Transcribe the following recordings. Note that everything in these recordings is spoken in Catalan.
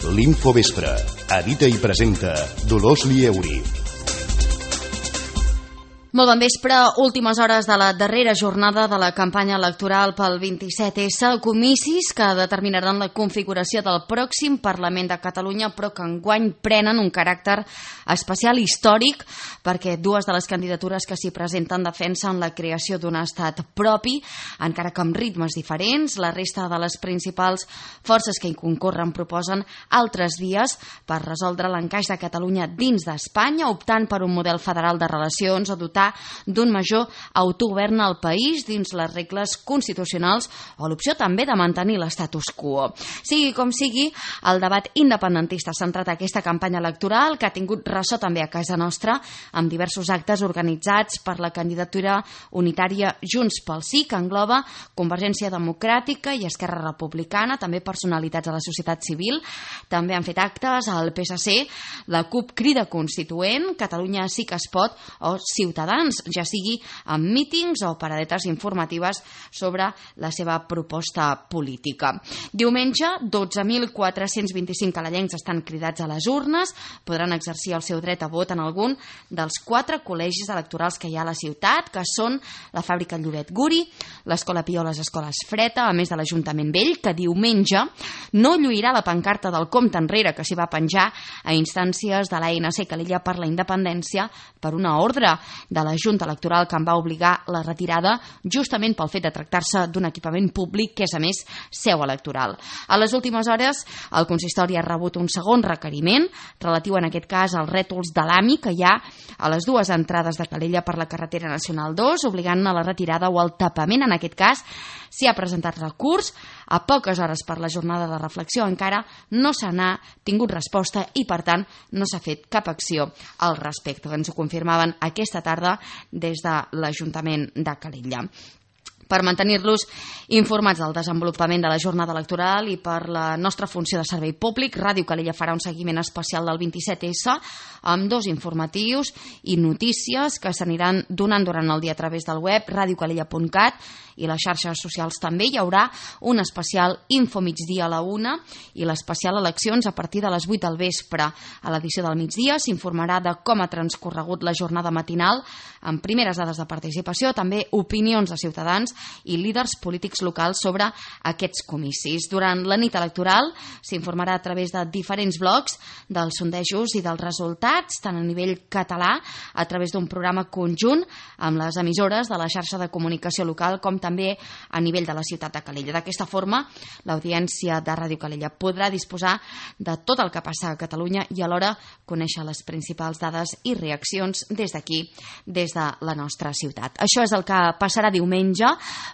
L'Infovespre. Edita i presenta Dolors Lieuri. Molt bon vespre, últimes hores de la darrera jornada de la campanya electoral pel 27S, comicis que determinaran la configuració del pròxim Parlament de Catalunya, però que enguany prenen un caràcter especial històric perquè dues de les candidatures que s'hi presenten defensen la creació d'un estat propi, encara que amb ritmes diferents. La resta de les principals forces que hi concorren proposen altres vies per resoldre l'encaix de Catalunya dins d'Espanya, optant per un model federal de relacions o dotar d'un major autogovern al país dins les regles constitucionals o l'opció també de mantenir l'estatus quo. Sigui com sigui, el debat independentista ha centrat aquesta campanya electoral que ha tingut ressò també a casa nostra amb diversos actes organitzats per la candidatura unitària Junts pel Sí, que engloba Convergència Democràtica i Esquerra Republicana, també personalitats de la societat civil. També han fet actes al PSC, la CUP Crida Constituent, Catalunya Sí que es pot o Ciutadans, ja sigui amb mítings o paradetes informatives sobre la seva proposta política. Diumenge, 12.425 calellencs estan cridats a les urnes, podran exercir el seu dret a vot en algun dels 4 col·legis electorals que hi ha a la ciutat, que són la Fàbrica Lloret Guri, l'Escola Pió, les Escoles Freta, a més de l'Ajuntament Vell, que diumenge no lluirà la pancarta del compte enrere que s'hi va penjar a instàncies de l'ANC Calella per la Independència per una ordre de la Junta Electoral que en va obligar la retirada justament pel fet de tractar-se d'un equipament públic que és a més seu electoral. A les últimes hores el consistori ha rebut un segon requeriment relatiu en aquest cas als rètols de l'AMI que hi ha a les dues entrades de Calella per la carretera nacional 2, obligant a la retirada o al tapament. En aquest cas s'hi ha presentat recurs. A poques hores per la jornada de reflexió encara no se n'ha tingut resposta i per tant no s'ha fet cap acció al respecte. Ens ho confirmaven aquesta tarda des de l'Ajuntament de Calella. Per mantenir-los informats del desenvolupament de la jornada electoral i per la nostra funció de servei públic, Ràdio Calella farà un seguiment especial del 27S amb 2 informatius i notícies que s'aniran donant durant el dia a través del web radiocalella.cat i les xarxes socials també. Hi haurà un especial Info migdia a la 1 i l'especial Eleccions a partir de les 8 del vespre. A l'edició del migdia s'informarà de com ha transcorregut la jornada matinal amb primeres dades de participació, també opinions de ciutadans i líders polítics locals sobre aquests comicis. Durant la nit electoral s'informarà a través de diferents blocs dels sondejos i dels resultats, tant a nivell català, a través d'un programa conjunt amb les emissores de la xarxa de comunicació local, com també a nivell de la ciutat de Calella. D'aquesta forma, l'audiència de Ràdio Calella podrà disposar de tot el que passa a Catalunya i alhora conèixer les principals dades i reaccions des d'aquí, des de la nostra ciutat. Això és el que passarà diumenge,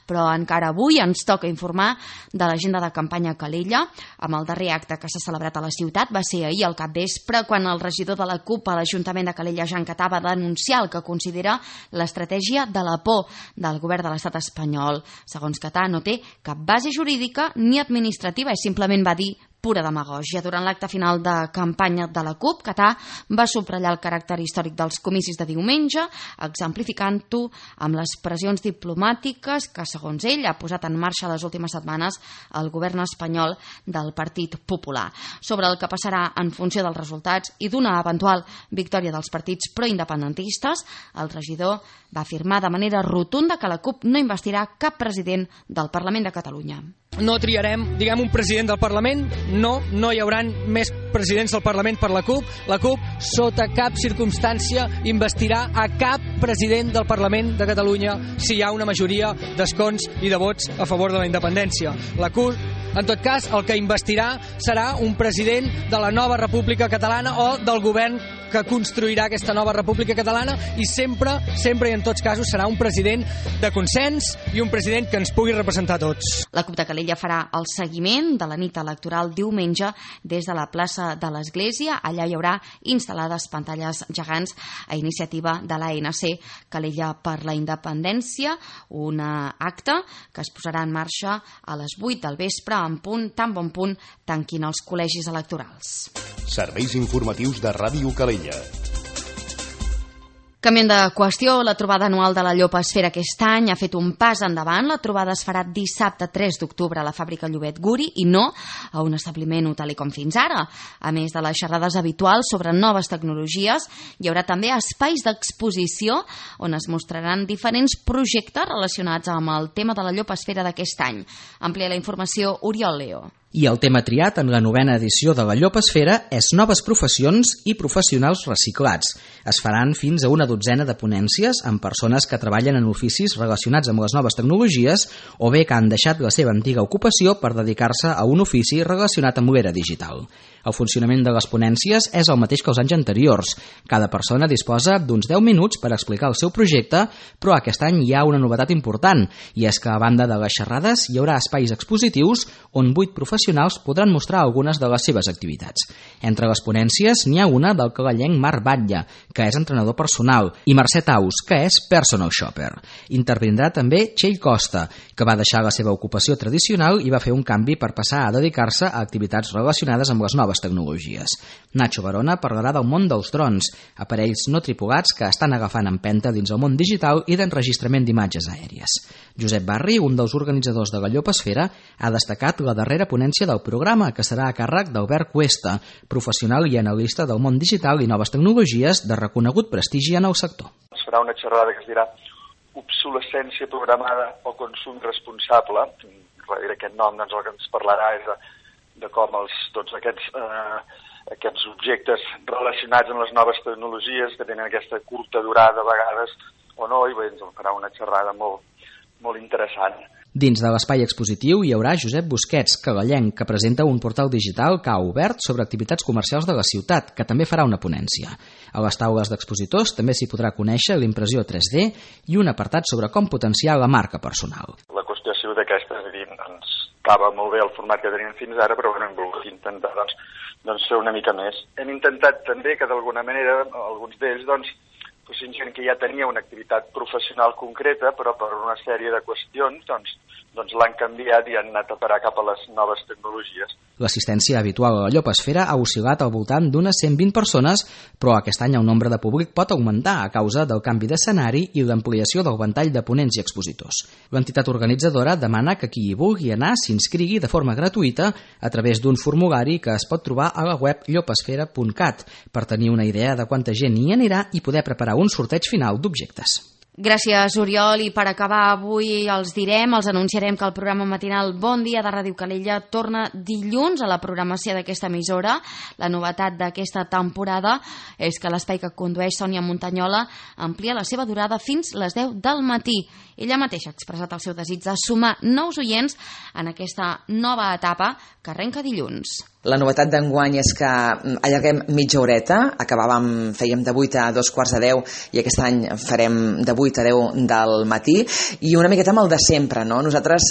però encara avui ens toca informar de l'agenda de campanya a Calella, amb el darrer acte que s'ha celebrat a la ciutat. Va ser ahir al capvespre, quan el regidor de la CUP a l'Ajuntament de Calella, Jan Catà, va denunciar el que considera l'estratègia de la por del govern de l'estat espanyol. Segons Catà, no té cap base jurídica ni administrativa, i simplement va dir pura demagògia. Durant l'acte final de campanya de la CUP, Catà va subratllar el caràcter històric dels comicis de diumenge, exemplificant-ho amb les pressions diplomàtiques que, segons ell, ha posat en marxa les últimes setmanes el govern espanyol del Partit Popular. Sobre el que passarà en funció dels resultats i d'una eventual victòria dels partits proindependentistes, el regidor va afirmar de manera rotunda que la CUP no investirà cap president del Parlament de Catalunya. No triarem, un president del Parlament, no hi hauran més presidents del Parlament per la CUP. La CUP, sota cap circumstància, investirà a cap president del Parlament de Catalunya si hi ha una majoria d'escons i de vots a favor de la independència. La CUP, en tot cas, el que investirà serà un president de la nova República Catalana o del govern que construirà aquesta nova República Catalana, i sempre i en tots casos serà un president de consens i un president que ens pugui representar a tots. La CUP de Calella farà el seguiment de la nit electoral diumenge des de la plaça de l'Església. Allà hi haurà instal·lades pantalles gegants a iniciativa de l'ANC Calella per la Independència, un acte que es posarà en marxa a les 8 del vespre en punt, tan bon punt tanquin els col·legis electorals. Serveis informatius de Ràdio Calella. Canviant de qüestió, la trobada anual de la Llopesfera aquest any ha fet un pas endavant. La trobada es farà dissabte 3 d'octubre a la fàbrica Llobet Guri i no a un establiment hotelí com fins ara. A més de les xerrades habituals sobre noves tecnologies, hi haurà també espais d'exposició on es mostraran diferents projectes relacionats amb el tema de la Llopesfera d'aquest any. Amplia la informació Oriol Leo. I el tema triat en la 9ª edició de la Llopesfera és noves professions i professionals reciclats. Es faran fins a una dotzena de ponències amb persones que treballen en oficis relacionats amb les noves tecnologies o bé que han deixat la seva antiga ocupació per dedicar-se a un ofici relacionat amb l'era digital. El funcionament de les ponències és el mateix que els anys anteriors. Cada persona disposa d'uns 10 minuts per explicar el seu projecte, però aquest any hi ha una novetat important, i és que a banda de les xerrades hi haurà espais expositius on 8 professionals podran mostrar algunes de les seves activitats. Entre les ponències n'hi ha una del calallenc Marc Batlle, que és entrenador personal, i Mercè Taus, que és personal shopper. Intervindrà també Txell Costa, que va deixar la seva ocupació tradicional i va fer un canvi per passar a dedicar-se a activitats relacionades amb les noves tecnologies. Nacho Barona parlarà del món dels drons, aparells no tripulats que estan agafant empenta dins el món digital i d'enregistrament d'imatges aèries. Josep Barri, un dels organitzadors de la Llopesfera, ha destacat la darrera ponència del programa, que serà a càrrec d'Albert Cuesta, professional i analista del món digital i noves tecnologies de reconegut prestigi en el sector. Es farà una xerrada que es dirà obsolescència programada o consum responsable. Darrere aquest nom doncs, el que ens parlarà és de com tots aquests objectes relacionats amb les noves tecnologies que tenen aquesta curta durada a vegades o no, i bé, ens en farà una xerrada molt interessant. Dins de l'espai expositiu hi haurà Josep Busquets, calallenc, que presenta un portal digital que ha obert sobre activitats comercials de la ciutat, que també farà una ponència. A les taules d'expositors també s'hi podrà conèixer l'impressió 3D i un apartat sobre com potenciar la marca personal. La qüestió ha sigut aquesta, és a dir, ens estava molt bé el format que teníem fins ara, però hem volgut intentar doncs, fer una mica més. Hem intentat també que d'alguna manera alguns d'ells fossin gent que ja tenia una activitat professional concreta, però per una sèrie de qüestions l'han canviat i han anat a parar cap a les noves tecnologies. L'assistència habitual a la Llopesfera ha oscil·lat al voltant d'unes 120 persones, però aquest any el nombre de públic pot augmentar a causa del canvi d'escenari i l'ampliació del ventall de ponents i expositors. L'entitat organitzadora demana que qui hi vulgui anar s'inscrigui de forma gratuïta a través d'un formulari que es pot trobar a la web llopesfera.cat per tenir una idea de quanta gent hi anirà i poder preparar un sorteig final d'objectes. Gràcies, Oriol. I per acabar avui els anunciarem que el programa matinal Bon Dia de Ràdio Calella torna dilluns a la programació d'aquesta emissora. La novetat d'aquesta temporada és que l'espai que condueix Sònia Montanyola amplia la seva durada fins les 10 del matí. Ella mateixa ha expressat el seu desig de sumar nous oients en aquesta nova etapa que arrenca dilluns. La novetat d'enguany és que allarguem mitja horeta, fèiem de 8 a 2:45 i aquest any farem de 8 a 10 del matí, i una miqueta amb el de sempre, no? Nosaltres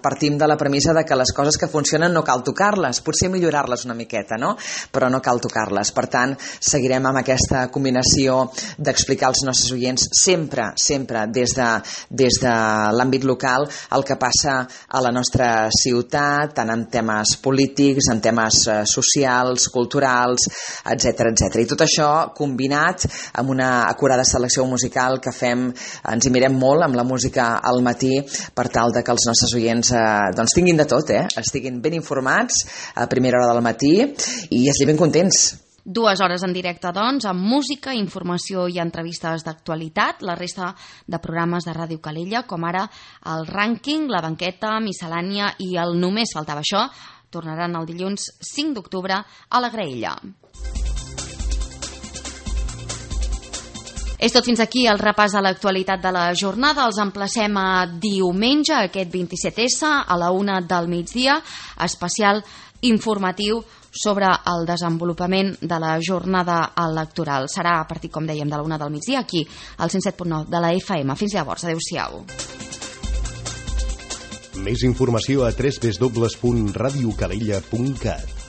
partim de la premissa de que les coses que funcionen no cal tocar-les, potser millorar-les una miqueta, no? Però no cal tocar-les. Per tant, seguirem amb aquesta combinació d'explicar als nostres oients sempre des de l'àmbit local el que passa a la nostra ciutat, tant en temes polítics, en temes socials, culturals, etc. I tot això combinat amb una acurada selecció musical que fem, ens hi mirem molt amb la música al matí per tal de que els nostres oients tinguin de tot, estiguin ben informats a primera hora del matí i estiguin ben contents. 2 hores en directe, doncs, amb música, informació i entrevistes d'actualitat. La resta de programes de Ràdio Calella, com ara el rànquing, la banqueta, miscel·lània i el Només faltava això, tornaran el dilluns 5 d'octubre a la Graella. És tot fins aquí el repàs de l'actualitat de la jornada. Els emplacem a diumenge, aquest 27S, a la 1 del migdia, especial informatiu sobre el desenvolupament de la jornada electoral. Serà a partir, com dèiem, de la 1 del migdia, aquí, al 107.9 de la FM. Fins llavors, adeu-siau. Més informació a www.radiocalella.cat.